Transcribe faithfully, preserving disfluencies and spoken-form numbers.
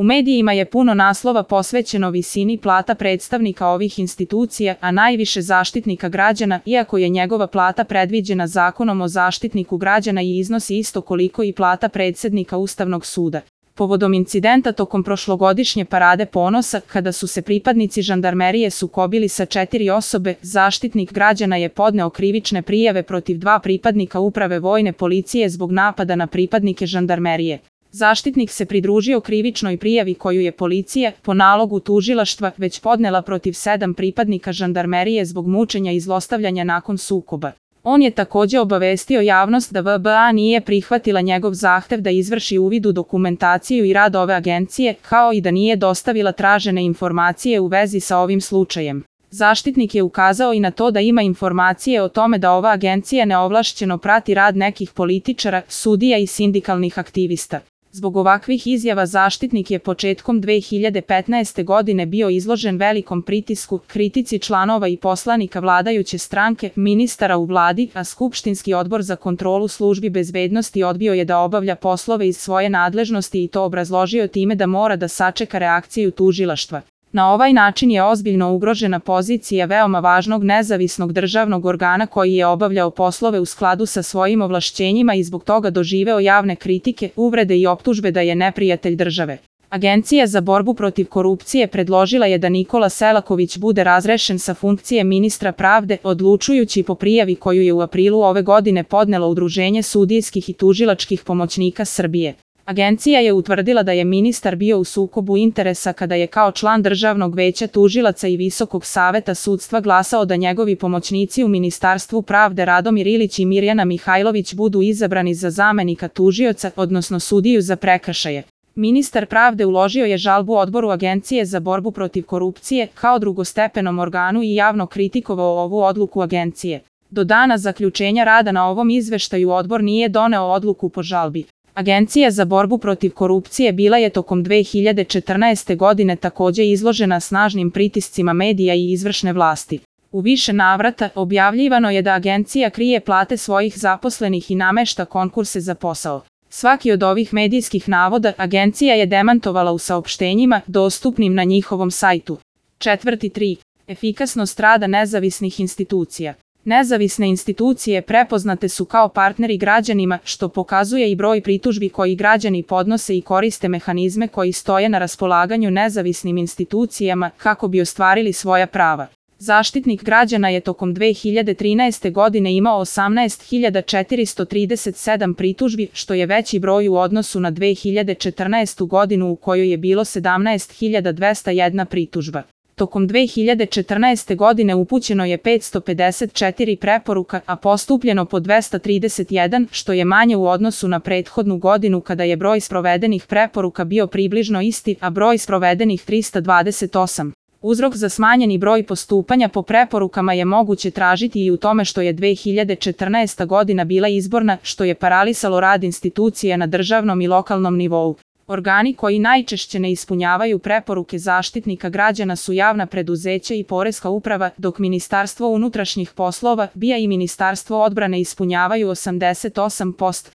U medijima je puno naslova posvećeno visini plata predstavnika ovih institucija, a najviše Zaštitnika građana, iako je njegova plata predviđena Zakonom o Zaštitniku građana i iznosi isto koliko i plata predsednika Ustavnog suda. Povodom incidenta tokom prošlogodišnje Parade ponosa, kada su se pripadnici žandarmerije sukobili sa četiri osobe, Zaštitnik građana je podneo krivične prijave protiv dva pripadnika Uprave vojne policije zbog napada na pripadnike žandarmerije. Zaštitnik se pridružio krivičnoj prijavi koju je policija, po nalogu tužilaštva, već podnela protiv sedam pripadnika žandarmerije zbog mučenja i zlostavljanja nakon sukoba. On je takođe obavestio javnost da V B A nije prihvatila njegov zahtev da izvrši uvid u dokumentaciju i rad ove agencije, kao i da nije dostavila tražene informacije u vezi sa ovim slučajem. Zaštitnik je ukazao i na to da ima informacije o tome da ova agencija neovlašćeno prati rad nekih političara, sudija i sindikalnih aktivista. Zbog ovakvih izjava Zaštitnik je početkom dve hiljade petnaeste. godine bio izložen velikom pritisku, kritici članova i poslanika vladajuće stranke, ministara u vladi, a Skupštinski odbor za kontrolu službi bezbednosti odbio je da obavlja poslove iz svoje nadležnosti i to obrazložio time da mora da sačeka reakciju tužilaštva. Na ovaj način je ozbiljno ugrožena pozicija veoma važnog nezavisnog državnog organa koji je obavljao poslove u skladu sa svojim ovlašćenjima i zbog toga doživeo javne kritike, uvrede i optužbe da je neprijatelj države. Agencija za borbu protiv korupcije predložila je da Nikola Selaković bude razrešen sa funkcije ministra pravde, odlučujući po prijavi koju je u aprilu ove godine podnelo Udruženje sudijskih i tužilačkih pomoćnika Srbije. Agencija je utvrdila da je ministar bio u sukobu interesa kada je kao član Državnog veća tužilaca i Visokog saveta sudstva glasao da njegovi pomoćnici u Ministarstvu pravde Radomir Ilić i Mirjana Mihajlović budu izabrani za zamenika tužioca, odnosno sudiju za prekršaje. Ministar pravde uložio je žalbu odboru Agencije za borbu protiv korupcije kao drugostepenom organu i javno kritikovao ovu odluku agencije. Do dana zaključenja rada na ovom izveštaju odbor nije doneo odluku po žalbi. Agencija za borbu protiv korupcije bila je tokom dve hiljade četrnaeste. godine takođe izložena snažnim pritiscima medija i izvršne vlasti. U više navrata objavljivano je da agencija krije plate svojih zaposlenih i namešta konkurse za posao. Svaki od ovih medijskih navoda agencija je demantovala u saopštenjima dostupnim na njihovom sajtu. Četvrti tri. Efikasnost rada nezavisnih institucija. Nezavisne institucije prepoznate su kao partneri građanima, što pokazuje i broj pritužbi koji građani podnose i koriste mehanizme koji stoje na raspolaganju nezavisnim institucijama kako bi ostvarili svoja prava. Zaštitnik građana je tokom dve hiljade trinaeste. godine imao osamnaest hiljada četiristo trideset sedam pritužbi, što je veći broj u odnosu na dve hiljade četrnaestu. godinu u kojoj je bilo sedamnaest hiljada dvesta jedna pritužba. Tokom dve hiljade četrnaeste. godine upućeno je petsto pedeset četiri preporuka, a postupljeno po dvesta trideset jedan, što je manje u odnosu na prethodnu godinu kada je broj sprovedenih preporuka bio približno isti, a broj sprovedenih trista dvadeset osam. Uzrok za smanjeni broj postupanja po preporukama je moguće tražiti i u tome što je dve hiljade četrnaesta. godina bila izborna, što je paralisalo rad institucija na državnom i lokalnom nivou. Organi koji najčešće ne ispunjavaju preporuke Zaštitnika građana su javna preduzeća i Poreska uprava, dok Ministarstvo unutrašnjih poslova, B I A i Ministarstvo odbrane ispunjavaju osamdeset osam posto.